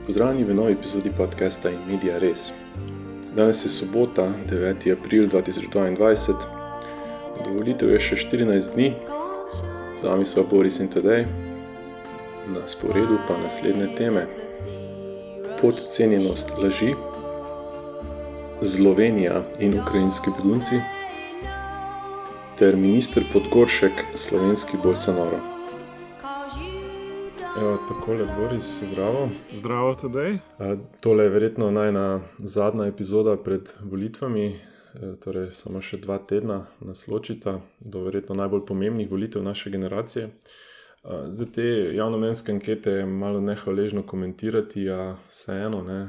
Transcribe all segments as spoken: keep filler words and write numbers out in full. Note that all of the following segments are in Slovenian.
Pozdravljeni v novi epizodi podcasta In Media Res. Danes je sobota, deveti april dva tisoč dvaindvajset. Do volitev je še štirinajst dni. Z vami sva Boris in Tadej. Na sporedu pa naslednje teme. Podcenjenost laži, Slovenija in ukrajinski begunci ter minister Podgoršek, slovenski Bolsonaro. Evo, takole, Boris, zdravo. Zdravo, Tadej. Tole je verjetno najna zadnja epizoda pred volitvami, torej samo še dva tedna nas ločita do verjetno najbolj pomembnih volitev naše generacije. Zdaj te javnomnenjske ankete je malo nehvaležno komentirati, a vseeno, ne,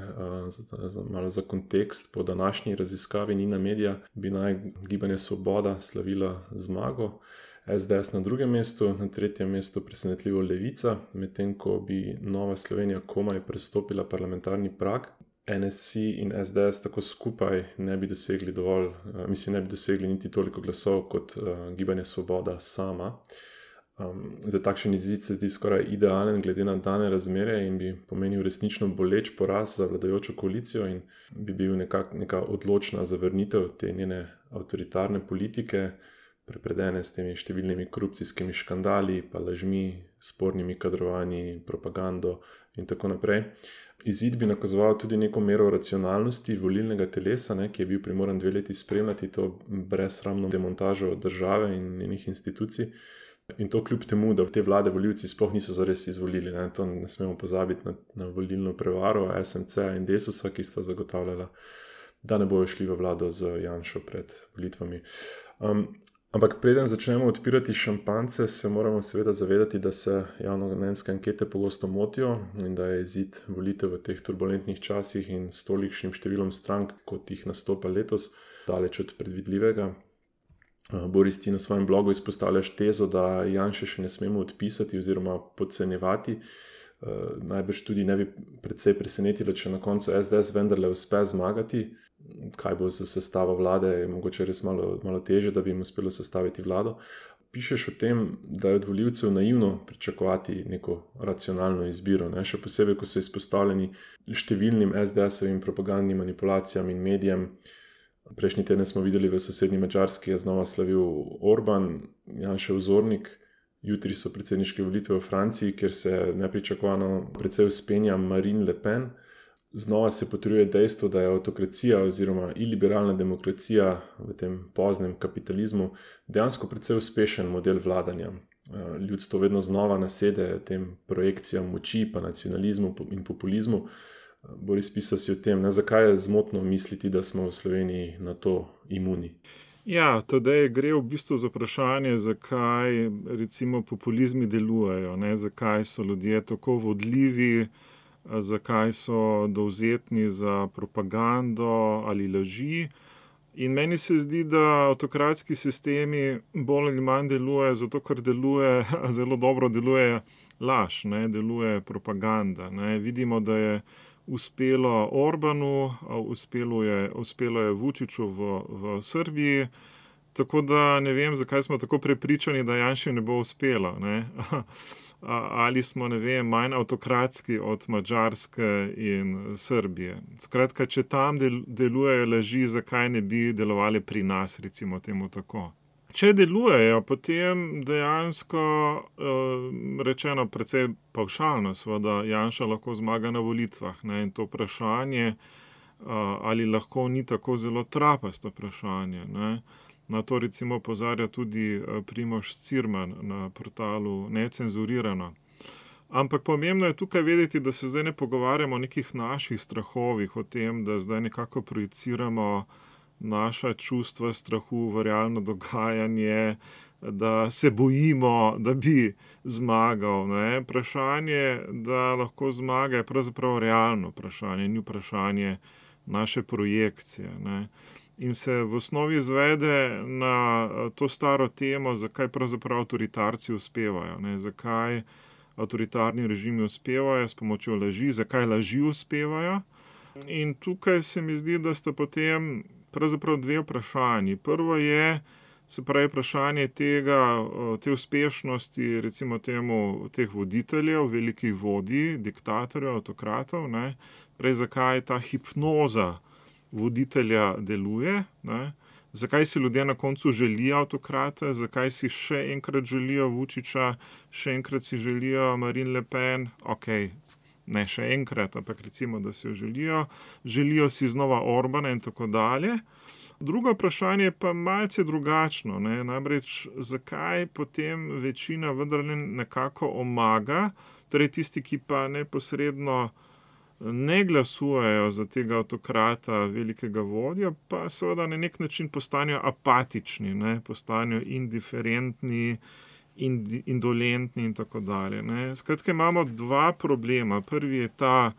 malo za kontekst, po današnji raziskavi Nina Media bi naj Gibanje Svoboda slavila zmago, es de es na drugem mestu, na tretjem mestu presenetljivo Levica, medtem ko bi Nova Slovenija komaj prestopila parlamentarni prag. en es si in es de es tako skupaj ne bi dosegli dovolj, mislim, ne bi dosegli niti toliko glasov kot Gibanje Svoboda sama. Um, za takšen izid se zdi skoraj idealen glede na dane razmere in bi pomenil resnično boleč poraz za vladajočo koalicijo in bi bil nekak, neka odločna zavrnitev te njene avtoritarne politike, prepredene s temi številnimi korupcijskimi škandali, pa lažmi, spornimi kadrovanji, propagando in tako naprej. Izid bi nakazoval tudi neko mero racionalnosti volilnega telesa, ne, ki je bil primoran dve leti spremljati to brezsramno demontažo države in njenih institucij. In to kljub temu, da te vlade volivci sploh niso zares izvolili. Ne. To ne smemo pozabiti na, na volilno prevaro es em ce in Desusa, ki sta zagotavljala, da ne bojo šli v vlado z Janšo pred volitvami. Um, ampak preden začnemo odpirati šampance, se moramo seveda zavedati, da se javnomnenjske ankete pogosto motijo in da je izid volitev v teh turbulentnih časih in s tolikšnim številom strank, kot jih nastopa letos, daleč od predvidljivega. Boris, ti na svojem blogu izpostavljaš tezo, da Janše še ne smemo odpisati oziroma podcenjevati. Najbrž tudi ne bi precej presenetilo, če na koncu es de es vendarle uspe zmagati. Kaj bo za sestavo vlade, je mogoče res malo, malo teže, da bi jim uspelo sestaviti vlado. Pišeš o tem, da je od volivcev naivno pričakovati neko racionalno izbiro, ne? Še posebej, ko so izpostavljeni številnim es de esovim propagandnim manipulacijam in medijem. Prejšnji teden smo videli v sosednji Madžarski je znova slavil Orban, Janšev vzornik. Jutri so predsedniške volitve v Franciji, kjer se nepričakovano precej vzpenja Marine Le Pen. Znova se potrjuje dejstvo, da je avtokracija oziroma iliberalna demokracija v tem poznem kapitalizmu dejansko precej uspešen model vladanja. Ljudstvo vedno znova nasede tem projekcijam moči, pa nacionalizmu in populizmu. Boris, pisal si o tem, ne, zakaj je zmotno misliti, da smo v Sloveniji na to imuni? Ja, tedaj gre v bistvu za vprašanje, zakaj recimo populizmi delujejo, ne, zakaj so ljudje tako vodljivi, zakaj so dovzetni za propagando ali laži. In meni se zdi, da avtokratski sistemi bolj ali manj delujejo, zato ker deluje, zelo dobro deluje laž, ne, deluje propaganda. Ne. Vidimo, da je uspelo Orbanu, uspelo je, uspelo je Vučiću v, v Srbiji, tako da ne vem, zakaj smo tako prepričani, da Janši ne bo uspelo. Ne. Ali smo, ne vem, manj avtokratski od Madžarske in Srbije. Skratka, če tam del, delujejo laži, zakaj ne bi delovali pri nas, recimo temu tako. Če delujejo, potem dejansko rečeno precej pavšalno, seveda Janša lahko zmaga na volitvah, ne, in to vprašanje, ali lahko ni tako zelo trapasto vprašanje, ne. Na to recimo opozarja tudi Primož Cirman na portalu Necenzurirano. Ampak pomembno je tukaj vedeti, da se zdaj ne pogovarjamo o nekih naših strahovih, o tem, da zdaj nekako projiciramo naša čustva strahu v realno dogajanje, da se bojimo, da bi zmagal. Ne. Vprašanje, da lahko zmaga, je pravzaprav realno vprašanje, ni vprašanje naše projekcije. Ne. In se v osnovi izvede na to staro temo, zakaj pravzaprav avtoritarci uspevajo, ne, zakaj avtoritarni režimi uspevajo s pomočjo laži, zakaj laži uspevajo. In tukaj se mi zdi, da sta potem pravzaprav dve vprašanji. Prvo je, Se pravi, vprašanje tega, te uspešnosti, recimo temu, teh voditeljev, velikih vodij, diktatorjev, avtokratov, ne, prej zakaj ta hipnoza voditelja deluje, ne, zakaj si ljudje na koncu želijo avtokrata, zakaj si še enkrat želijo Vučića, še enkrat si želijo Marine Le Pen, okej, ne še enkrat, ampak recimo, da si jo želijo, želijo si znova Orbana in tako dalje. Drugo vprašanje je pa malce drugačno, ne, namreč zakaj potem večina vendarle nekako omaga, torej tisti, ki pa neposredno ne glasujejo za tega avtokrata, velikega vodja, pa seveda na nek način postanejo apatični, ne, postanejo indiferentni, indolentni in tako dalje, ne. Skratka, imamo dva problema. Prvi je ta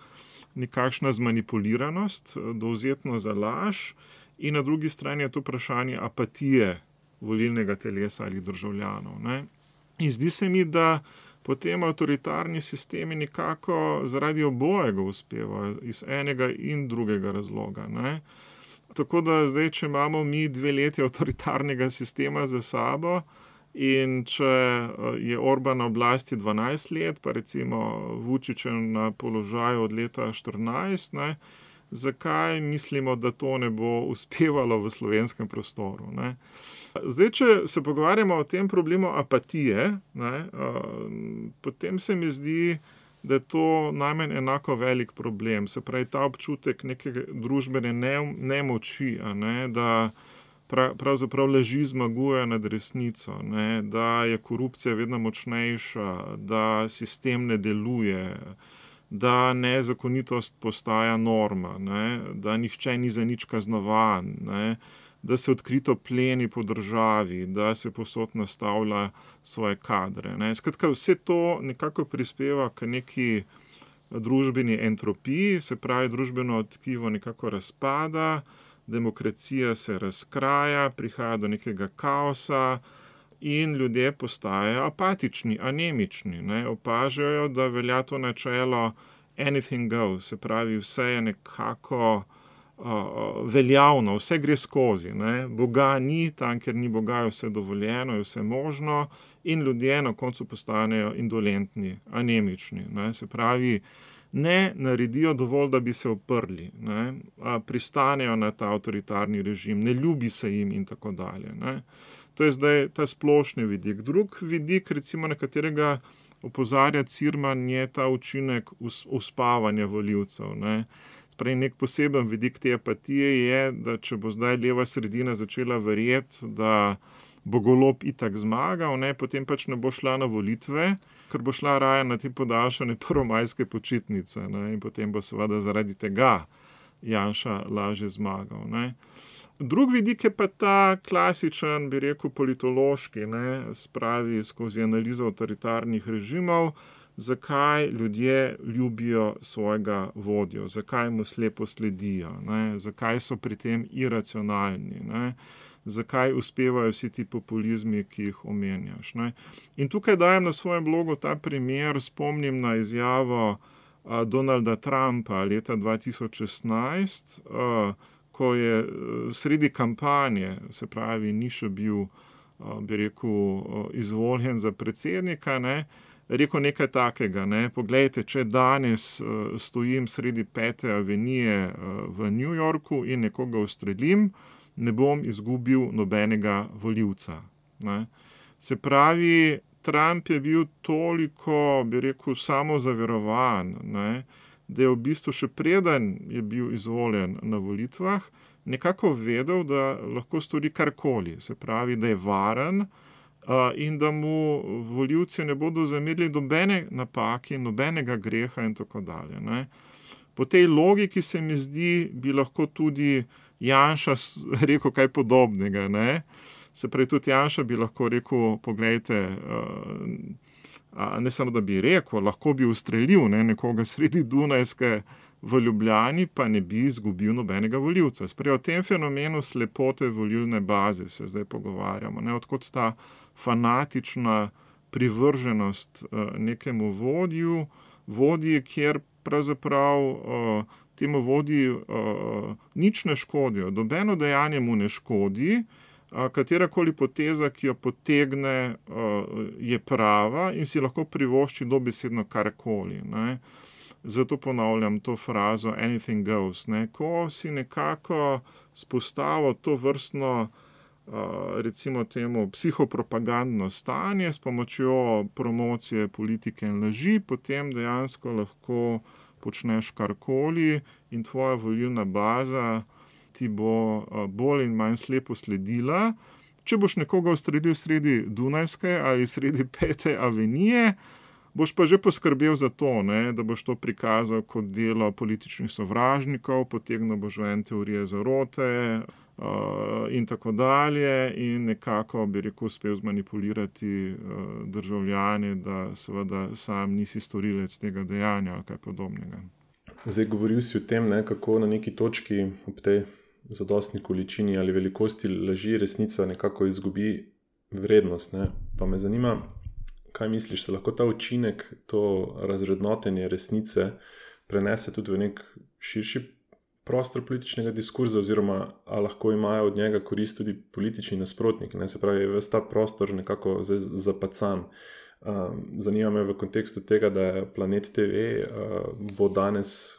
nekakšna zmanipuliranost, dovzetnost za laž, in na drugi strani je to vprašanje apatije volilnega telesa ali državljanov, ne. In zdi se mi, da potem avtoritarni sistemi nekako zaradi obojega uspevajo, iz enega in drugega razloga, ne. Tako da zdaj, če imamo mi dve leti avtoritarnega sistema za sabo in če je Orban na oblasti dvanajst let, pa recimo Vučić na položaju od leta štirinajst, ne, zakaj mislimo, da to ne bo uspevalo v slovenskem prostoru, ne. Zdaj, če se pogovarjamo o tem problemu apatije, ne, potem se mi zdi, da je to najmanj enako velik problem. Se pravi, ta občutek neke družbene nemoči, a ne, da pravzaprav laži zmagujejo nad resnico, ne, da je korupcija vedno močnejša, da sistem ne deluje, da nezakonitost postaja norma, ne, da nihče ni za nič kaznovan, ne, da se odkrito pleni po državi, da se povsod nastavlja svoje kadre, ne. Skratka, vse to nekako prispeva k neki družbeni entropiji, se pravi, družbeno tkivo nekako razpada, demokracija se razkraja, prihaja do nekega kaosa in ljudje postajajo apatični, anemični, ne, opažajo, da velja to načelo anything goes, se pravi, vse je nekako uh, veljavno, vse gre skozi, ne, Boga ni, tam, kjer ni Boga, je vse dovoljeno, je vse možno in ljudje na koncu postanejo indolentni, anemični, ne, se pravi, ne naredijo dovolj, da bi se oprli, ne, pristanejo na ta avtoritarni režim, ne ljubi se jim in tako dalje, ne. To je zdaj ta splošni vidik. Drug vidik, recimo, na katerega opozarja Cirman, je ta učinek uspavanja volivcev, ne. Spravi, nek poseben vidik te apatije je, da če bo zdaj leva sredina začela verjeti, da bo Golob itak zmagal, ne, potem pač ne bo šla na volitve, ker bo šla raje na te podaljšane prvomajske počitnice, ne, in potem bo seveda zaradi tega Janša lažje zmagal, ne. Drug vidik je pa ta klasičen, bi rekel, politološki, ne, spravi skozi analizo avtoritarnih režimov, zakaj ljudje ljubijo svojega vodjo, zakaj mu slepo sledijo, ne, zakaj so pri tem iracionalni, ne, zakaj uspevajo vsi ti populizmi, ki jih omenjaš, ne. In tukaj dajem na svojem blogu ta primer, spomnim na izjavo a, Donalda Trumpa leta dva tisoč šestnajst, a, ko je sredi kampanje, se pravi, ni še bil, bi rekel, izvoljen za predsednika, ne, rekel nekaj takega, ne, poglejte, če danes stojim sredi Pete avenije v New Yorku in nekoga ustrelim, ne bom izgubil nobenega volivca, ne. Se pravi, Trump je bil toliko, bi rekel, samozaverovan, ne, da je v bistvu še preden je bil izvoljen na volitvah, nekako vedel, da lahko stori karkoli, se pravi, da je varen uh, in da mu volivci ne bodo zamerili nobene napake, nobenega greha in tako dalje, ne. Po tej logiki se mi zdi, bi lahko tudi Janša rekel kaj podobnega, ne. Se pravi, tudi Janša bi lahko rekel, poglejte, uh, ne samo, da bi rekel, lahko bi ustrelil, ne, nekoga sredi Dunajske v Ljubljani, pa ne bi izgubil nobenega volivca. Sprej, o tem fenomenu slepote volilne baze se zdaj pogovarjamo, ne, odkot ta fanatična privrženost uh, nekemu vodju, vodji, kjer pravzaprav uh, temu vodji uh, nič ne škodijo, nobeno dejanje mu ne škodi, katerakoli poteza, ki jo potegne, je prava in si lahko privošči dobesedno karkoli, ne. Zato ponavljam to frazo anything goes, ne. Ko si nekako vzpostavil tovrstno, recimo temu psihopropagandno stanje s pomočjo promocije politike in laži, potem dejansko lahko počneš karkoli in tvoja volilna baza ti bo bolj in manj slepo sledila. Če boš nekoga ustrelil sredi Dunajske ali sredi Pete avenije, boš pa že poskrbel za to, ne, da boš to prikazal kot delo političnih sovražnikov, potegnil boš ven teorije zarote, uh, in tako dalje in nekako, bi rekel, uspel zmanipulirati uh, državljane, da seveda sam nisi storilec tega dejanja ali kaj podobnega. Zdaj govoril si o tem, ne, kako na neki točki ob tej zadostni količini ali velikosti laži resnica nekako izgubi vrednost, ne. Pa me zanima, kaj misliš, se lahko ta učinek, to razrednotenje resnice prenese tudi v nek širši prostor političnega diskurza oziroma a lahko imajo od njega korist tudi politični nasprotniki, ne, se pravi, ves ta prostor nekako zdaj zapacan. Zanima me v kontekstu tega, da je Planet te ve bo danes,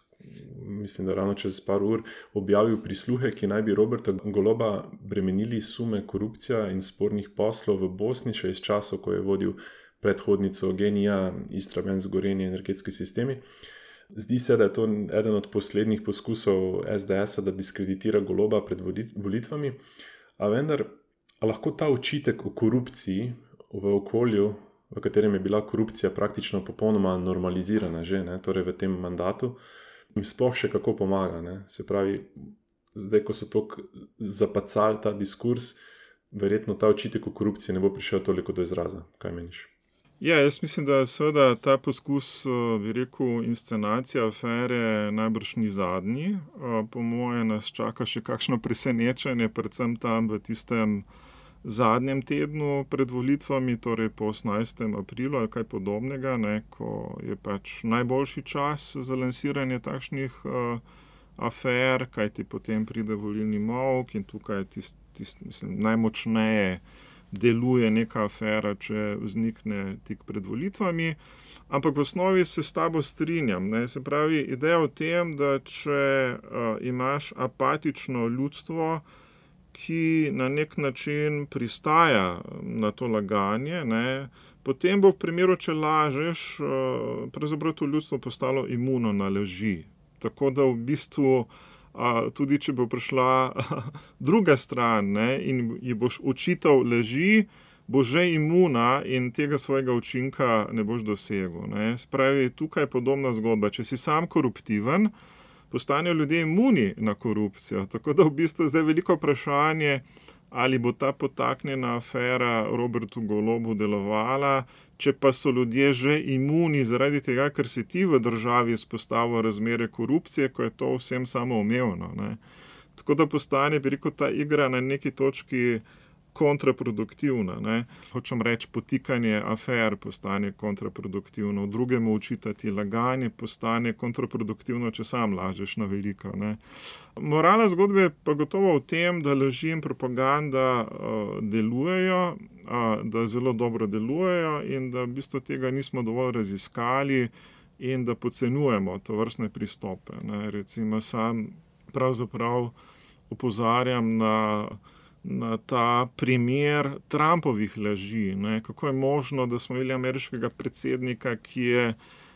mislim, da ravno čez par ur, objavil prisluhe, ki naj bi Roberta Goloba bremenili sume korupcija in spornih poslov v Bosni še iz časov, ko je vodil predhodnico Genija, Istrabenz, Gorenje, energetski sistemi. Zdi se, da je to eden od poslednjih poskusov es de esa, da diskreditira Goloba pred volitvami, a vendar, a lahko ta očitek o korupciji v okolju, v katerem je bila korupcija praktično popolnoma normalizirana že, ne, torej v tem mandatu, jim sploh še kako pomaga, ne. Se pravi, zdaj, ko so toliko zapacali ta diskurs, verjetno ta očitek o korupciji ne bo prišel toliko do izraza. Kaj meniš? Ja, jaz mislim, da seveda ta poskus, bi rekel, inscenacija afere najbrž ni zadnji. Po moje nas čaka še kakšno presenečenje, predvsem tam v tistem zadnjem tednu pred volitvami, torej po osemnajstem aprilu ali kaj podobnega, ne, ko je pač najboljši čas za lansiranje takšnih uh, afer, kajti potem pride volilni molk in tukaj tist, tist, mislim, najmočneje deluje neka afera, če vznikne tik pred volitvami. Ampak v osnovi se s tabo strinjam, ne, se pravi, ideja o tem, da če uh, imaš apatično ljudstvo, ki na nek način pristaja na to laganje, ne, potem bo v primeru, če lažeš, pravzaprav to ljudstvo postalo imuno na laži. Tako da v bistvu, tudi če bo prišla druga stran, ne, in ji boš očital laži, bo že imuna in tega svojega učinka ne boš dosegel, ne. Spravi, tukaj je podobna zgodba. Če si sam koruptiven, postanejo ljudje imuni na korupcijo. Tako da v bistvu zdaj veliko vprašanje, ali bo ta potaknjena afera Robertu Golobu delovala, če pa so ljudje že imuni zaradi tega, ker si ti v državi vzpostavil razmere korupcije, ko je to vsem samoumevno, ne. Tako da postane, bi rekel, ta igra na neki točki kontraproduktivna, ne. Hočem reči, potikanje afer postane kontraproduktivno, drugemu očitati laganje postane kontraproduktivno, če sam lažeš na veliko, ne. Morala zgodbe je pa gotovo v tem, da laži in propaganda uh, delujejo, uh, da zelo dobro delujejo in da v bistvu tega nismo dovolj raziskali in da podcenjujemo tovrstne pristope, ne. Recimo sam pravzaprav opozarjam na na ta primer Trumpovih laži, ne, kako je možno, da smo imeli ameriškega predsednika, ki je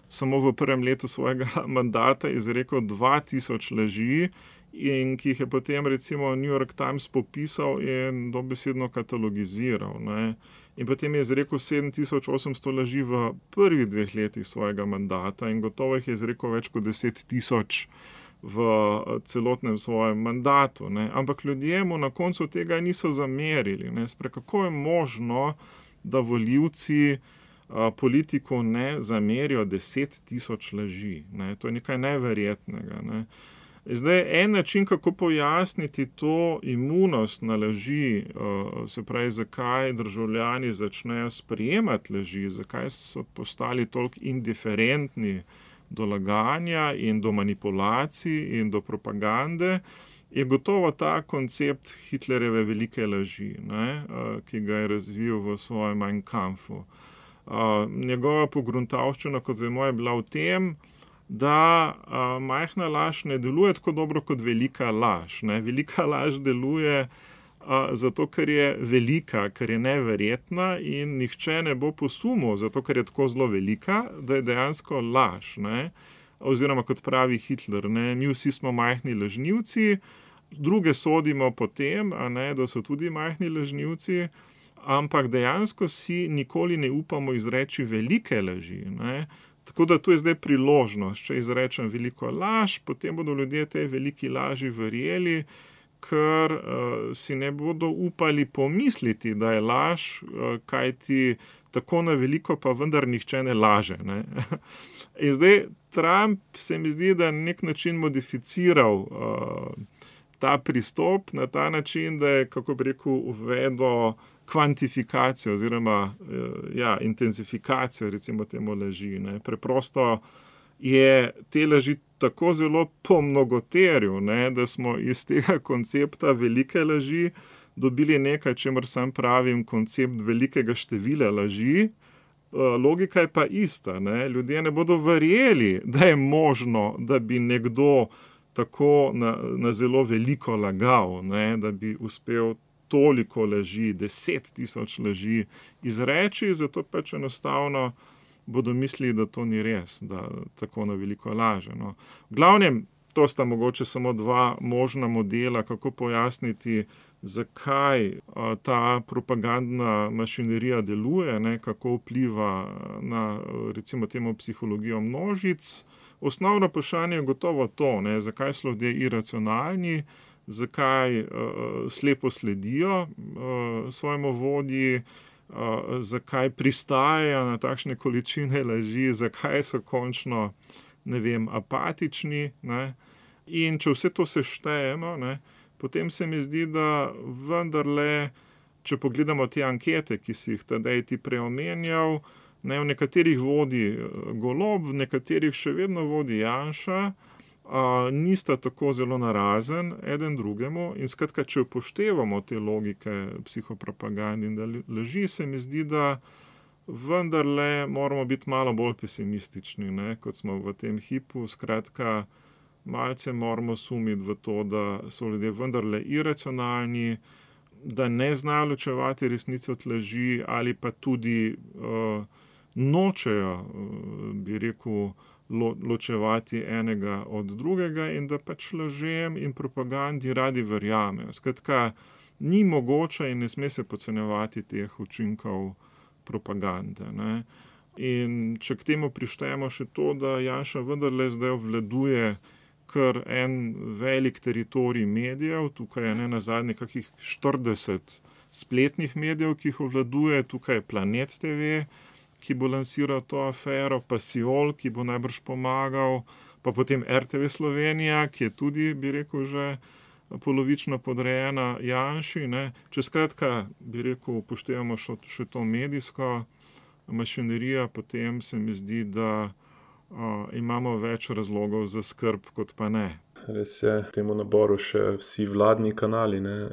samo v prvem letu svojega mandata izrekel dva tisoč laži in ki jih je potem recimo New York Times popisal in dobesedno katalogiziral, ne. In potem je izrekel sedem tisoč osemsto laži v prvih dveh letih svojega mandata in gotovo jih je izrekel več kot deset tisoč v celotnem svojem mandatu, ne. Ampak ljudje mu na koncu tega niso zamerili, ne. Spre, kako je možno, da volivci a, politiku ne zamerijo deset tisoč laži, ne. To je nekaj neverjetnega, ne. Zdaj, en način, kako pojasniti to imunost na laži, a, se pravi, zakaj državljani začnejo sprejemati laži, zakaj so postali toliko indiferentni do laganja in do manipulacij in do propagande, je gotovo ta koncept Hitlerjeve velike laži, ne, ki ga je razvil v svojem Mein Kampfu. Njegova pogruntavščina, kot vemo, je bila v tem, da majhna laž ne deluje tako dobro kot velika laž. Ne. Velika laž deluje zato, ker je velika, ker je neverjetna in nihče ne bo posumil, zato ker je tako zelo velika, da je dejansko laž. Ne. Oziroma, kot pravi Hitler, ne, mi vsi smo majhni lažnivci, druge sodimo po tem, a ne, da so tudi majhni lažnivci, ampak dejansko si nikoli ne upamo izreči velike laži. Ne. Tako da tu je zdaj priložnost, če izrečem veliko laž, potem bodo ljudje tej veliki laži verjeli, ker uh, si ne bodo upali pomisliti, da je laž, uh, kajti tako na veliko pa vendar nihče ne laže. Ne. In zdaj Trump se mi zdi, da na nek način modificiral uh, ta pristop na ta način, da je, kako bi rekel, uvedel kvantifikacijo oziroma uh, ja, intenzifikacijo, recimo temu laži. Ne. Preprosto je te laži tako zelo pomnogoteril, ne, da smo iz tega koncepta velike laži dobili nekaj, čemer sam pravim koncept velikega števila laži. Logika je pa ista. Ne. Ljudje ne bodo verjeli, da je možno, da bi nekdo tako na, na zelo veliko lagal, ne, da bi uspel toliko laži, deset tisoč laži izreči, zato pač enostavno bodo mislili, da to ni res, da tako na veliko laže. No. V glavnem, to sta mogoče samo dva možna modela, kako pojasniti, zakaj a, ta propagandna mašinerija deluje, ne, kako vpliva na, recimo temu, psihologijo množic. Osnovno vprašanje je gotovo to, ne, zakaj so ljudje iracionalni, zakaj a, slepo sledijo a, svojemu vodji, a, zakaj pristajajo na takšne količine laži, zakaj so končno, ne vem, apatični. Ne. In če vse to seštejemo, ne, potem se mi zdi, da vendarle, če pogledamo te ankete, ki si jih tedaj ti preomenjal, ne, v nekaterih vodi Golob, v nekaterih še vedno vodi Janša, a, nista tako zelo narazen eden drugemu in skratka, če upoštevamo te logike psihopropagande in laži, se mi zdi, da vendarle moramo biti malo bolj pesimistični, ne, kot smo v tem hipu, skratka, malce moramo sumiti v to, da so ljudje vendarle iracionalni, da ne znajo ločevati resnice od laži ali pa tudi uh, nočejo, uh, bi rekel, lo, ločevati enega od drugega in da pač lažem in propagandi radi verjamejo. Skratka, ni mogoče in ne sme se podcenjevati teh učinkov propagande. Ne. In če k temu prištejemo še to, da Janša vendarle zdaj obvladuje kar en velik teritorij medijev, tukaj je ne nazadnje kakih štirideset spletnih medijev, ki jih obvladuje, tukaj je Planet te ve, ki bo lansiral to afero, pa Siol, ki bo najbrž pomagal, pa potem R T V Slovenija, ki je tudi, bi rekel, že polovično podrejena Janši. Ne. Če skratka, bi rekel, upoštevamo še, še to medijsko mašinerijo, potem se mi zdi, da Uh, imamo več razlogov za skrb, kot pa ne. Res je, v temu naboru še vsi vladni kanali, ne,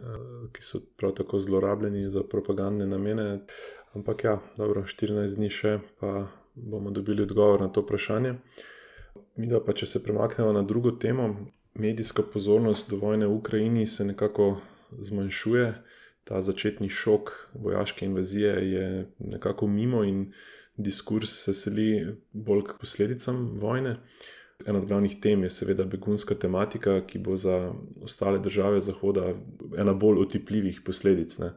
ki so prav tako zlorabljeni za propagandne namene. Ampak ja, dobro, štirinajst dni še, pa bomo dobili odgovor na to vprašanje. Midva pa, če se premaknemo na drugo temo, medijska pozornost do vojne v Ukrajini se nekako zmanjšuje. Ta začetni šok vojaške invazije je nekako mimo in diskurs se seli bolj k posledicam vojne. Ena od glavnih tem je seveda begunska tematika, ki bo za ostale države Zahoda ena bolj otipljivih posledic. Ne.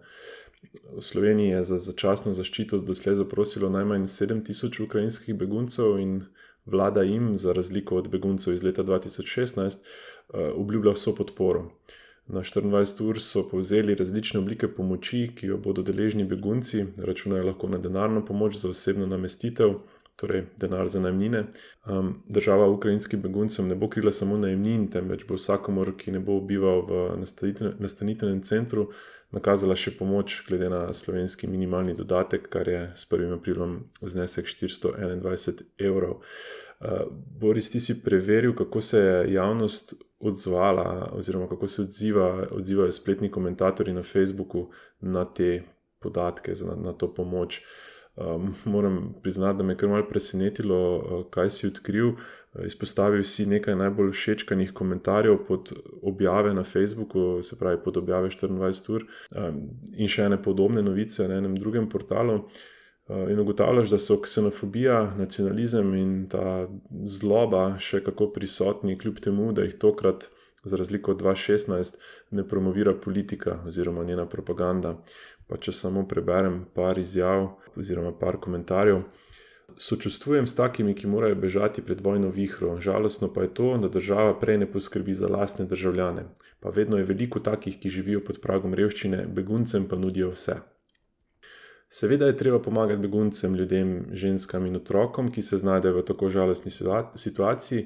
V Sloveniji je za začasno zaščito doslej zaprosilo najmanj sedem tisoč ukrajinskih beguncev in vlada jim, za razliko od beguncev iz leta dva tisoč šestnajst, obljublja vso podporo. Na štiriindvajset ur so povzeli različne oblike pomoči, ki jo bodo deležni begunci, računajo lahko na denarno pomoč za osebno namestitev, torej denar za najemnine. Um, država ukrajinskim beguncem ne bo krila samo najemnin, temveč bo vsakomur, ki ne bo bival v nastanitvenem centru, nakazala še pomoč glede na slovenski minimalni dodatek, kar je s prvim aprilom znesek štiristo enaindvajset evrov. Boris, ti si preveril, kako se je javnost odzvala oziroma kako se odziva, odzivajo spletni komentatorji na Facebooku na te podatke, na, na to pomoč. Um, moram priznati, da me je kar malo presenetilo, kaj si odkril. Izpostavil si nekaj najbolj všečkanih komentarjev pod objave na Facebooku, se pravi pod objave štiriindvajset ur, um, in še ene podobne novice na enem drugem portalu. In ugotavljaš, da so ksenofobija, nacionalizem in ta zloba še kako prisotni, kljub temu, da jih tokrat, za razliko od dva tisoč šestnajst, ne promovira politika oziroma njena propaganda. Pa če samo preberem par izjav oziroma par komentarjev. Sočustvujem s takimi, ki morajo bežati pred vojno vihro. Žalostno pa je to, da država prej ne poskrbi za lastne državljane. Pa vedno je veliko takih, ki živijo pod pragom revščine, beguncem pa nudijo vse. Seveda je treba pomagati beguncem, ljudem, ženskam in otrokom, ki se znajdejo v tako žalostni situaciji,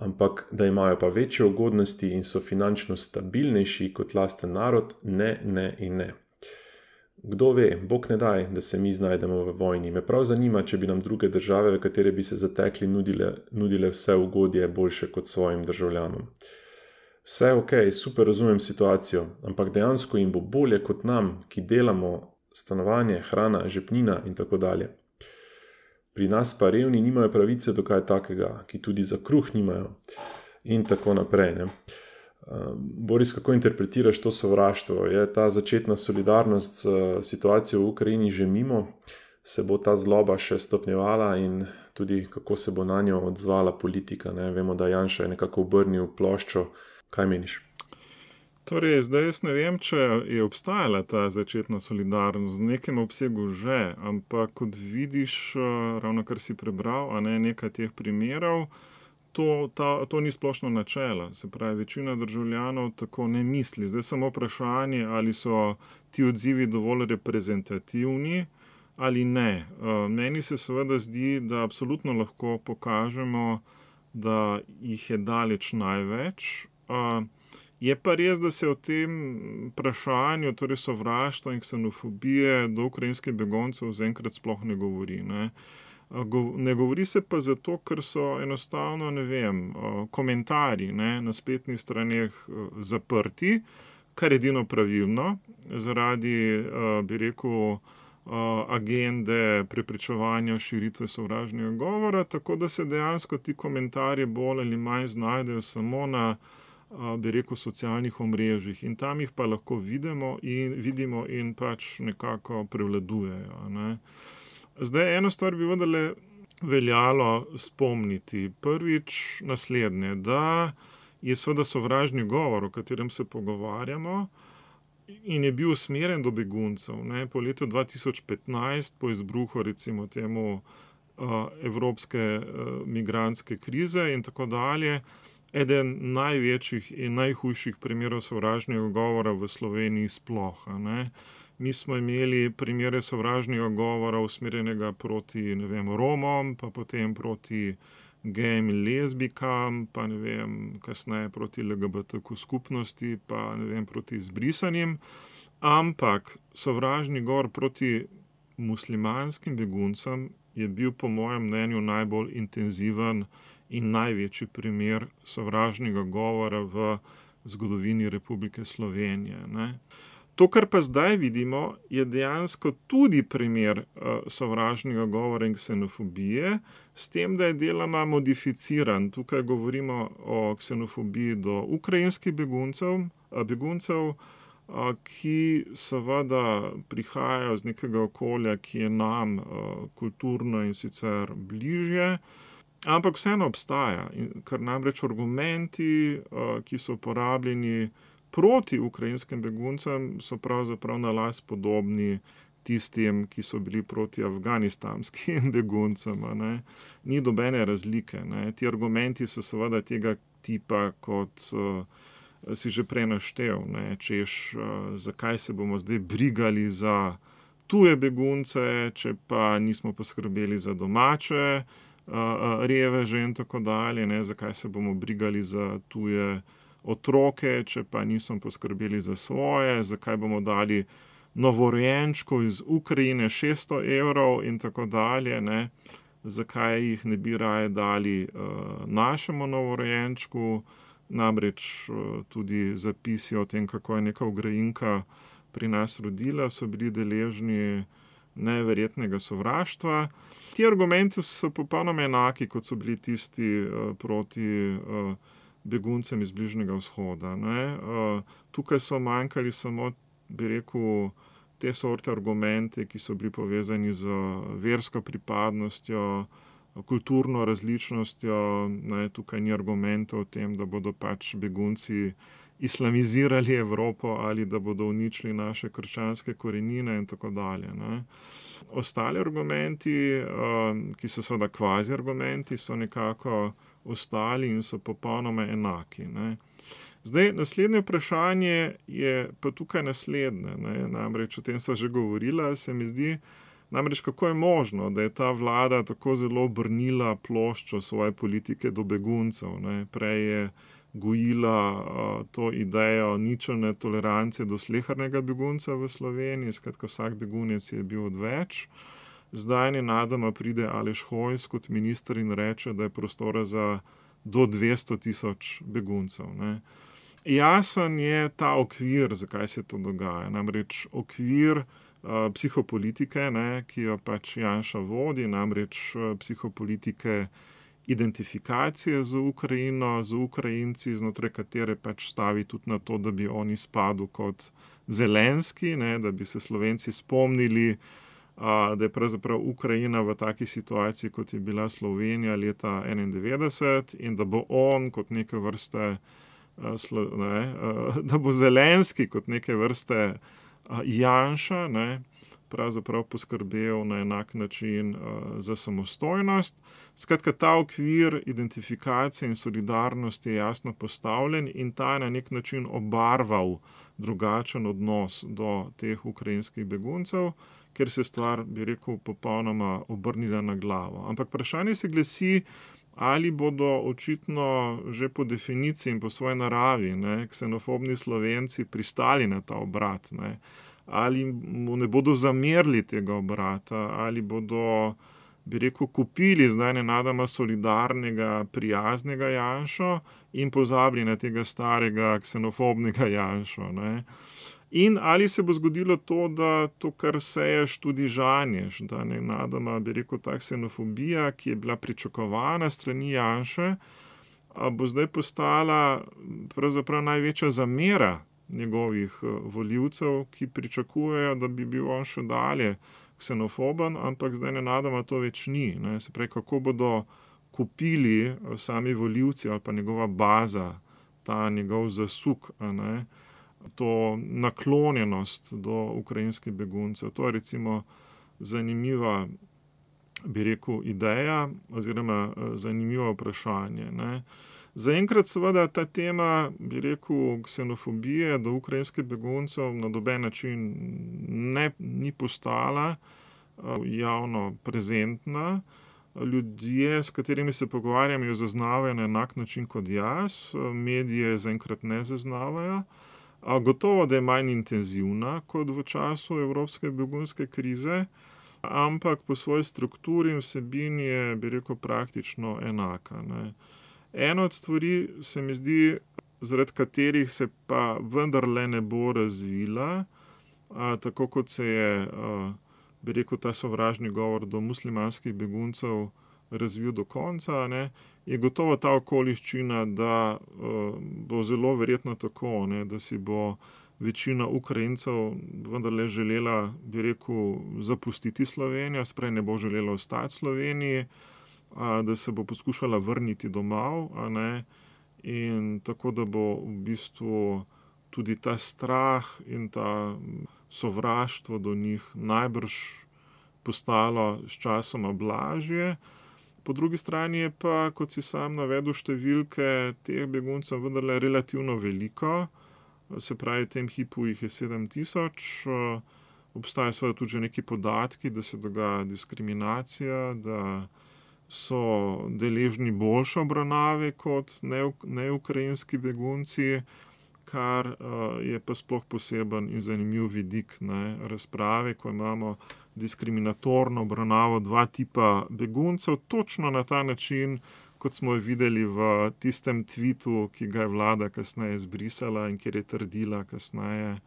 ampak da imajo pa večje ugodnosti in so finančno stabilnejši kot lasten narod, ne, ne in ne. Kdo ve, Bog ne daj, da se mi znajdemo v vojni. Me prav zanima, če bi nam druge države, v katere bi se zatekli, nudile, nudile vse ugodje boljše kot svojim državljanom. Vse ok, super razumem situacijo, ampak dejansko jim bo bolje kot nam, ki delamo stanovanje, hrana, žepnina in tako dalje. Pri nas pa revni nimajo pravice do kaj takega, ki tudi za kruh nimajo in tako naprej. Ne? Boris, kako interpretiraš to sovraštvo? Je ta začetna solidarnost s situacijo v Ukrajini že mimo? Se bo ta zloba še stopnjevala in tudi kako se bo na njo odzvala politika? Ne? Vemo, da Janša je nekako obrnil ploščo. Kaj meniš? Torej, zdaj jaz ne vem, če je obstajala ta začetna solidarnost, v nekem obsegu že, ampak kot vidiš, ravno kar si prebral, a ne nekaj teh primerov, to, ta, to ni splošno načelo. Se pravi, večina državljanov tako ne misli. Zdaj samo vprašanje, ali so ti odzivi dovolj reprezentativni ali ne. Meni se seveda zdi, da absolutno lahko pokažemo, da jih je daleč največ. Je pa res, da se o tem vprašanju, torej sovraštva in ksenofobije do ukrajinskih beguncev zaenkrat sploh ne govori. Ne? Ne govori se pa zato, ker so enostavno, ne vem, komentarji, ne, na spletnih straneh zaprti, kar je edino pravilno, zaradi, bi rekel, agende preprečevanja širitve sovražnega govora, tako da se dejansko ti komentarji bolj ali manj znajdejo samo na, bi rekel, socialnih omrežjih in tam jih pa lahko vidimo in, vidimo in pač nekako prevladujejo. Ne. Zdaj, eno stvar bi vendarle veljalo spomniti. Prvič naslednje, da je seveda sovražni govor, o katerem se pogovarjamo, in je bil usmerjen do beguncev. Ne. Po letu dva tisoč petnajst, po izbruhu recimo temu evropske migrantske krize in tako dalje, eden največjih in najhujših primerov sovražnega govora v Sloveniji sploh. Ne. Mi smo imeli primere sovražnega govora usmerjenega proti, ne vem, Romom, pa potem proti gejem in lezbikam, pa ne vem, kasneje proti L G B T Q skupnosti, pa ne vem, proti izbrisanim. Ampak sovražni govor proti muslimanskim beguncem je bil po mojem mnenju najbolj intenziven in največji primer sovražnega govora v zgodovini Republike Slovenije. Ne. To, kar pa zdaj vidimo, je dejansko tudi primer uh, sovražnega govora in ksenofobije, s tem, da je deloma modificiran. Tukaj govorimo o ksenofobiji do ukrajinskih beguncev, beguncev, uh, ki seveda prihajajo z nekega okolja, ki je nam uh, kulturno in sicer bližje, ampak vseeno obstaja, ker namreč argumenti, uh, ki so uporabljeni proti ukrajinskim beguncem, so pravzaprav na las podobni tistim, ki so bili proti afganistanskim beguncem. Ne. Ni dobene razlike. Ne. Ti argumenti so seveda tega tipa, kot uh, si že prej naštel. Ne. Češ, uh, zakaj se bomo zdaj brigali za tuje begunce, če pa nismo poskrbeli za domače uh, reveže in tako dalje. Ne. Zakaj se bomo brigali za tuje otroke, če pa nismo poskrbeli za svoje, zakaj bomo dali novorojenčku iz Ukrajine šeststo evrov in tako dalje. Ne. zakaj jih ne bi raje dali uh, našemu novorojenčku, namreč uh, tudi zapisi o tem, kako je neka Ukrajinka pri nas rodila, so bili deležni neverjetnega sovraštva. Ti argumenti so popolnoma enaki, kot so bili tisti uh, proti uh, beguncem iz Bližnjega vzhoda. Ne? Uh, tukaj so manjkali samo, bi rekel, te sorte argumente, ki so bili povezani z versko pripadnostjo, kulturno različnostjo. Ne, tukaj ni argumentov o tem, da bodo pač begunci islamizirali Evropo ali da bodo uničili naše krščanske korenine in tako dalje. Ne. Ostali argumenti, ki so seveda kvazi argumenti, so nekako ostali in so popolnoma enaki. Ne. Zdaj, naslednje vprašanje je pa tukaj naslednje, ne, namreč o tem sva že govorila, se mi zdi, namreč kako je možno, da je ta vlada tako zelo obrnila ploščo svoje politike do beguncev, ne, prej je gojila uh, to idejo ničelne tolerance do slehernega begunca v Sloveniji, skratka vsak begunec je bil odveč, zdaj nenadoma pride Aleš Hojs kot minister in reče, da je prostora za do dvesto tisoč beguncev, ne. Jasen je ta okvir, zakaj se to dogaja. Namreč okvir uh, psihopolitike, ne, ki jo pač Janša vodi, namreč uh, psihopolitike identifikacije z Ukrajino, z Ukrajinci, znotraj katere pač stavi tudi na to, da bi oni spadli kot Zelenski, ne, da bi se Slovenci spomnili, uh, da je pravzaprav Ukrajina v taki situaciji, kot je bila Slovenija leta enaindevetdeset in da bo on kot neke vrste Ne, da bo Zelenski kot neke vrste Janša, ne, pravzaprav poskrbel na enak način za samostojnost. Skratka, ta okvir identifikacije in solidarnosti je jasno postavljen in ta je na nek način obarval drugačen odnos do teh ukrajinskih beguncev, ker se stvar, bi rekel, popolnoma obrnila na glavo. Ampak vprašanje se glasi, ali bodo očitno že po definiciji in po svoji naravi, ne, ksenofobni Slovenci pristali na ta obrat, ne, ali mu ne bodo zamerili tega obrata, ali bodo, bi rekel, kupili zdaj nenadoma solidarnega, prijaznega Janšo in pozabili na tega starega ksenofobnega Janšo, ne. In ali se bo zgodilo to, da to, kar seješ, tudi žanješ, da nenadoma, bi rekel, ta ksenofobija, ki je bila pričakovana strani Janše, bo zdaj postala pravzaprav največja zamera njegovih volivcev, ki pričakujejo, da bi bil on še dalje ksenofoben, ampak zdaj nenadoma to več ni. Ne. Se pravi, kako bodo kupili sami volivci ali pa njegova baza, ta njegov zasuk, a ne, to naklonjenost do ukrajinskih beguncev. To je recimo zanimiva, bi rekel, ideja oziroma zanimivo vprašanje, ne. Zaenkrat seveda ta tema, bi rekel, ksenofobije do ukrajinskih beguncev na noben način ne, ni postala javno prezentna. Ljudje, s katerimi se pogovarjam, jo zaznavajo na enak način kot jaz, medije zaenkrat ne zaznavajo. Gotovo, da je manj intenzivna kot v času evropske begunske krize, ampak po svoji strukturi in vsebini je, bi rekel, praktično enaka, ne. Ena od stvari se mi zdi, zaradi katerih se pa vendarle ne bo razvila, a, tako kot se je, a, bi rekel, ta sovražni govor do muslimanskih beguncev razvil do konca, ne, je gotovo ta okoliščina, da uh, bo zelo verjetno tako, ne, da si bo večina Ukrajincev vendarle želela, bi rekel, zapustiti Slovenijo, sprej ne bo želela ostati v Sloveniji, a, da se bo poskušala vrniti domov, a ne, in tako, da bo v bistvu tudi ta strah in ta sovraštvo do njih najbrž postalo s časoma blažje. Po drugi strani je pa, kot si sam navedel, številke teh beguncev vendarle relativno veliko, se pravi, v tem hipu jih je sedem tisoč, obstajajo seveda tudi že neki podatki, da se dogaja diskriminacija, da so deležni boljše obravnave kot neukrajinski begunci, kar je pa sploh poseben in zanimiv vidik, ne, razprave, ko imamo diskriminatorno obravnaval dva tipa beguncev, točno na ta način, kot smo jo videli v tistem tvitu, ki ga je vlada kasneje zbrisala in kjer je trdila kasneje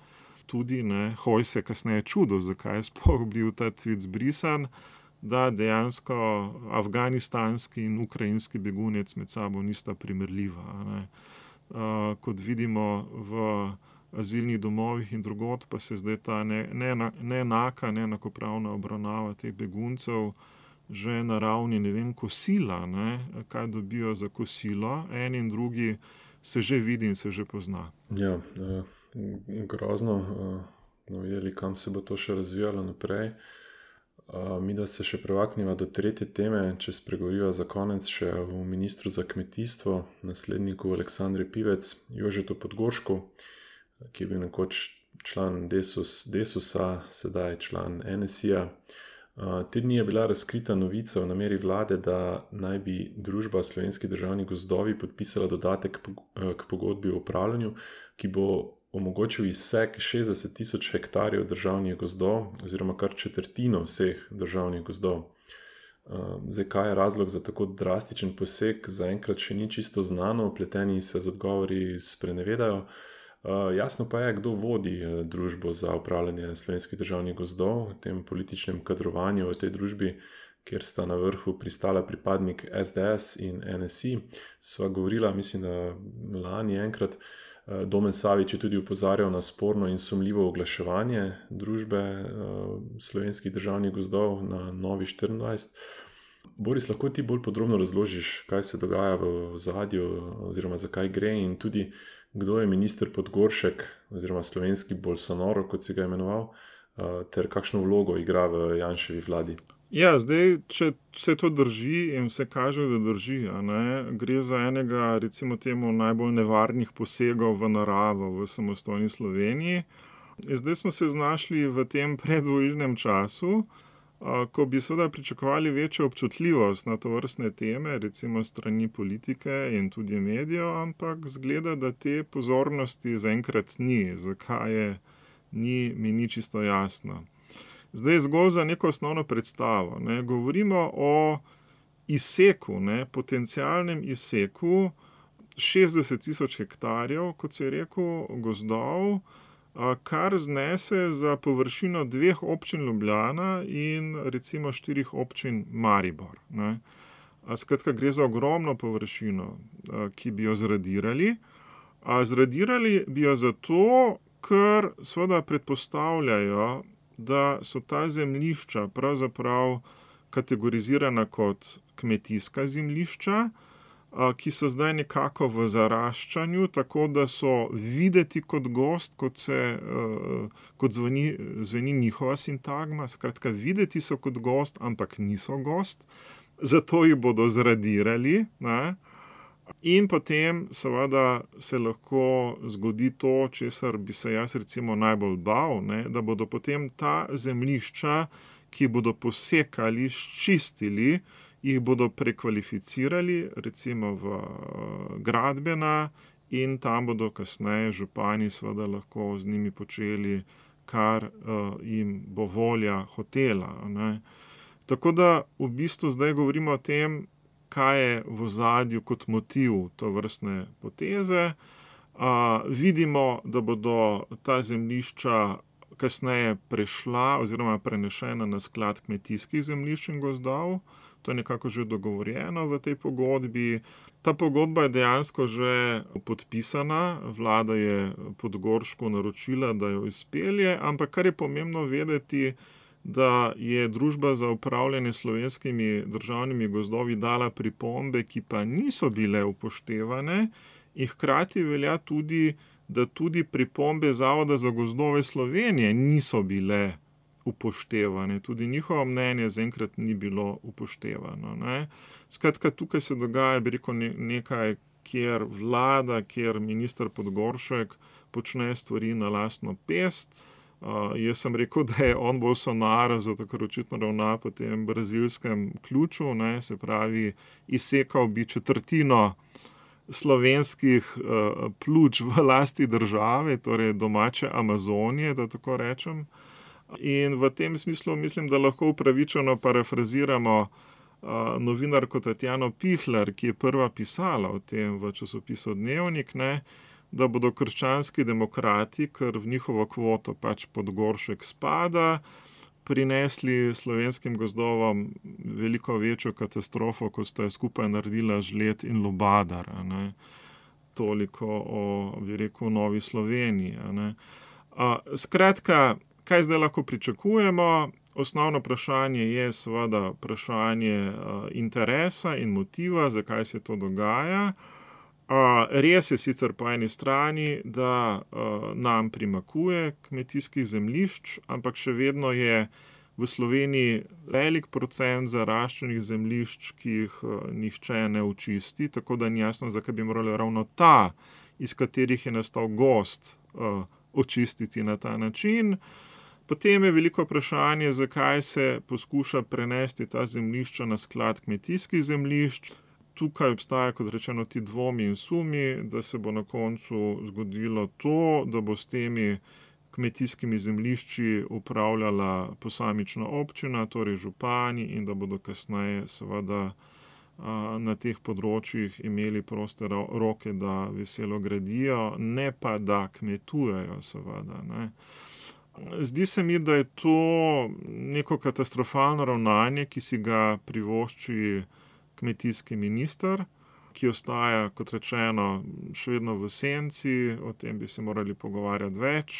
tudi, ne, Hojs je kasneje čudil, zakaj je sploh bil ta tvit zbrisan, da dejansko afganistanski in ukrajinski begunec med sabo nista primerljiva, ne. Uh, kot vidimo v azilnih domovih in drugod, pa se zdaj ta neenaka, neenakopravna obravnava teh beguncev že na ravni, ne vem, kosila, ne, kaj dobijo za kosilo, en in drugi se že vidi in se že pozna. Ja, eh, grozno, eh, no, jeli, kam se bo to še razvijalo naprej. Uh, mi, da se še prevakniva do tretje teme, če spregovoriva za konec še o ministru za kmetijstvo, nasledniku Aleksandre Pivec, Jožetu Podgoršku, ki je bil nekoč član Desus, Desusa, sedaj član N S I-ja. Uh, te dni je bila razkrita novica o nameri vlade, da naj bi družba Slovenski državni gozdovi podpisala dodatek k pogodbi o upravljanju, ki bo omogočil izsek šestdeset tisoč hektarjev državnih gozdov oziroma kar četrtino vseh državnih gozdov. Zdaj, kaj je razlog za tako drastičen poseg, zaenkrat še ni čisto znano, vpleteni se z odgovori sprenevedajo. Jasno pa je, kdo vodi družbo za upravljanje Slovenskih državnih gozdov v tem političnem kadrovanju v tej družbi, kjer sta na vrhu pristala pripadnik S D S in N S I. Sva govorila, mislim, da lani enkrat, Domen Savič je tudi upozarjal na sporno in sumljivo oglaševanje družbe Slovenskih državnih gozdov na Novi štiriindvajset. Boris, lahko ti bolj podrobno razložiš, kaj se dogaja v ozadju oziroma zakaj gre in tudi kdo je minister Podgoršek oziroma slovenski Bolsonaro, kot si ga imenoval, ter kakšno vlogo igra v Janševi vladi? Ja, zdaj, če vse to drži in vse kaže, da drži, a ne, gre za enega, recimo temu, najbolj nevarnih posegov v naravo v samostojni Sloveniji. Zdaj smo se znašli v tem predvolilnem času, ko bi seveda pričakovali večjo občutljivost na tovrstne teme, recimo strani politike in tudi medijev, ampak zgleda, da te pozornosti zaenkrat ni. Zakaj je, ni, mi ni čisto jasno. Zdaj zgolj za neko osnovno predstavo. Ne. Govorimo o izseku, ne, potencialnem izseku šestdeset tisoč hektarjev, kot si je rekel, gozdov, kar znese za površino dveh občin Ljubljana in recimo štirih občin Maribor. Ne. Skratka, gre za ogromno površino, ki bi jo zradirali. Zradirali bi jo zato, ker seveda predpostavljajo, da so ta zemljišča pravzaprav kategorizirana kot kmetijska zemljišča, ki so zdaj nekako v zaraščanju, tako da so videti kot gozd, kot, se, kot zveni, zveni njihova sintagma. Skratka, videti so kot gozd, ampak niso gozd, zato jih bodo zradirali, ne? In potem seveda se lahko zgodi to, česar bi se jaz recimo najbolj bal, ne, da bodo potem ta zemljišča, ki bodo posekali, sčistili, jih bodo prekvalificirali recimo v gradbena in tam bodo kasneje župani seveda lahko z njimi počeli, kar uh, jim bo volja hotela, ne. Tako da v bistvu zdaj govorimo o tem, kaj je v ozadju kot motiv tovrstne poteze. Uh, vidimo, da bodo ta zemljišča kasneje prešla oziroma prenešena na sklad kmetijskih zemljišč in gozdov. To je nekako že dogovorjeno v tej pogodbi. Ta pogodba je dejansko že podpisana, vlada je Podgoršku naročila, da jo izpelje, ampak kar je pomembno vedeti, da je Družba za upravljanje slovenskimi državnimi gozdovi dala pripombe, ki pa niso bile upoštevane, in hkrati velja tudi, da tudi pripombe Zavoda za gozdove Slovenije niso bile upoštevane. Tudi njihovo mnenje zaenkrat ni bilo upoštevano, ne. Skratka, tukaj se dogaja, bi rekel, nekaj, kjer vlada, kjer minister Podgoršek počne stvari na lastno pest. Uh, jaz sem rekel, da je on Bolsonaro, zato ker očitno ravna po tem brazilskem ključu, ne, se pravi, izsekal bi četrtino slovenskih uh, pljuč v lasti države, torej domače Amazonije, da tako rečem. In v tem smislu mislim, da lahko upravičeno parafraziramo uh, novinarko Tatjano Pihler, ki je prva pisala o tem v časopisu Dnevnik, ne, da bodo krščanski demokrati, ker v njihovo kvoto pač Podgoršek spada, prinesli slovenskim gozdovom veliko večjo katastrofo, kot sta skupaj naredila Žled in Lubadar. Ne. Toliko o, bi rekel, Novi Sloveniji. Ne. A, skratka, kaj zdaj lahko pričakujemo? Osnovno vprašanje je seveda vprašanje a, interesa in motiva, zakaj se to dogaja. A, res je sicer po eni strani, da a, nam primakuje kmetijskih zemljišč, ampak še vedno je v Sloveniji velik procent zaraščenih zemljišč, ki jih a, nihče ne očisti, tako da ni jasno, zakaj bi morali ravno ta, iz katerih je nastal gozd, a, očistiti na ta način. Potem je veliko vprašanje, zakaj se poskuša prenesti ta zemljišča na sklad kmetijskih zemljišč. Tukaj obstaja, kot rečeno, ti dvomi in sumi, da se bo na koncu zgodilo to, da bo s temi kmetijskimi zemljišči upravljala posamična občina, torej župani, in da bodo kasneje seveda na teh področjih imeli proste roke, da veselo gradijo, ne pa da kmetujejo, seveda, ne. Zdi se mi, da je to neko katastrofalno ravnanje, ki si ga privošči kmetijski minister, ki ostaja, kot rečeno, še vedno v senci, o tem bi se morali pogovarjati več.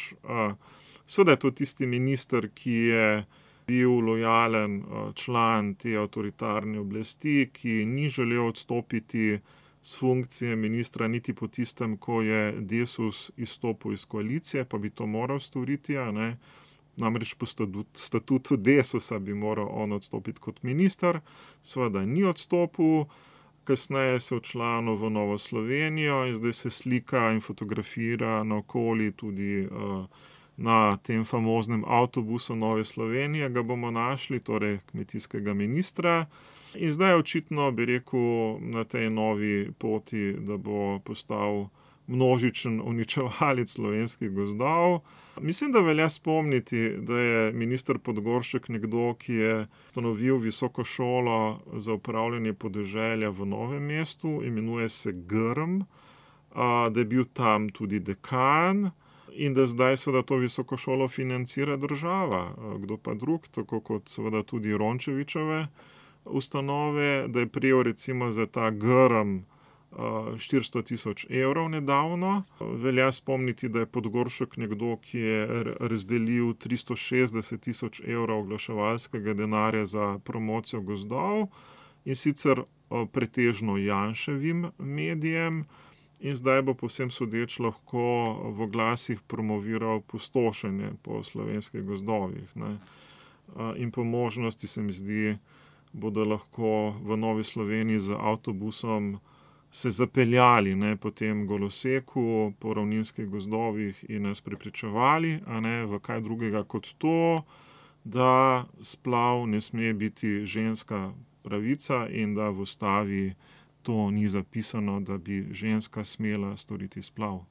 Seveda je to tisti minister, ki je bil lojalen član te avtoritarne oblasti, ki ni želel odstopiti s funkcije ministra niti po tistem, ko je Desus izstopil iz koalicije, pa bi to moral storiti, a ne. Namreč po statutu Desusa bi moral on odstopiti kot minister, seveda ni odstopil, kasneje se včlanil v Novo Slovenijo in zdaj se slika in fotografira naokoli tudi uh, na tem famoznem avtobusu Nove Slovenije, ga bomo našli, torej kmetijskega ministra. In zdaj je očitno, bi rekel, na tej novi poti, da bo postal množičen uničevalec slovenskih gozdov. Mislim, da velja spomniti, da je minister Podgoršek nekdo, ki je ustanovil visoko šolo za upravljanje podeželja v Novem mestu, imenuje se Grm, da je bil tam tudi dekan in da zdaj seveda to visoko šolo financira država. Kdo pa drug, tako kot seveda tudi Rončevićeve ustanove, da je prijel recimo za ta Grm štiristo tisoč evrov nedavno. Velja spomniti, da je Podgoršek nekdo, ki je razdelil tristo šestdeset tisoč evrov oglaševalskega denarja za promocijo gozdov, in sicer pretežno Janševim medijem, in zdaj bo povsem sodeč lahko v oglasih promoviral pustošenje po slovenskih gozdovih, ne. In po možnosti, se mi zdi, bodo lahko v Novi Sloveniji z avtobusom se zapeljali, ne, po tem goloseku, po ravninskih gozdovih in nas prepričevali, a ne, v kaj drugega kot to, da splav ne sme biti ženska pravica in da v ustavi to ni zapisano, da bi ženska smela storiti splav.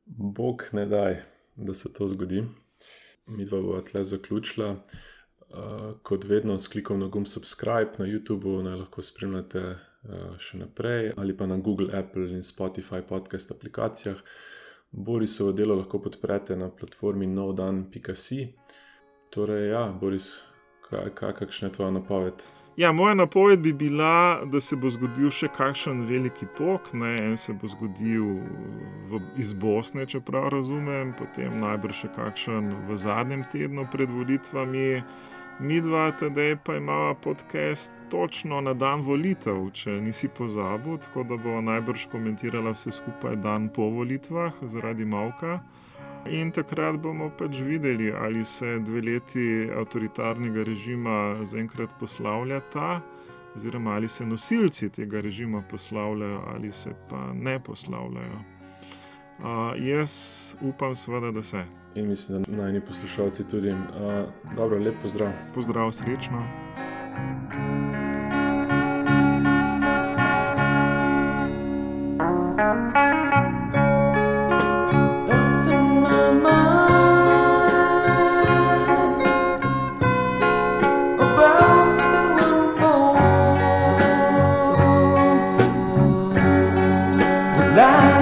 Bog ne daj, da se to zgodi. Midva bova tle zaključila. Uh, kot vedno s klikom na gumb subscribe na YouTubeu naj lahko spremljate uh, še naprej, ali pa na Google, Apple in Spotify podcast aplikacijah. Borisovo delo lahko podprete na platformi novdan pika si. Torej, ja, Boris, kaj, kaj, kakšna je tvoja napoved? Ja, moja napoved bi bila, da se bo zgodil še kakšen veliki pok, ne, en se bo zgodil v, iz Bosne, čeprav razumem, potem najbrž še kakšen v zadnjem tednu pred volitvami. Midva tedaj pa imava podcast točno na dan volitev, če nisi pozabil, tako da bo najbrž komentirala vse skupaj dan po volitvah zaradi mavka. In takrat bomo pač videli, ali se dve leti avtoritarnega režima zaenkrat poslavljata, oziroma ali se nosilci tega režima poslavljajo, ali se pa ne poslavljajo. Uh, jaz upam seveda, da se. In mislim, da najni poslušalci tudi. Uh, dobro, lep pozdrav. Pozdrav, srečno. Thoughts in my mind. la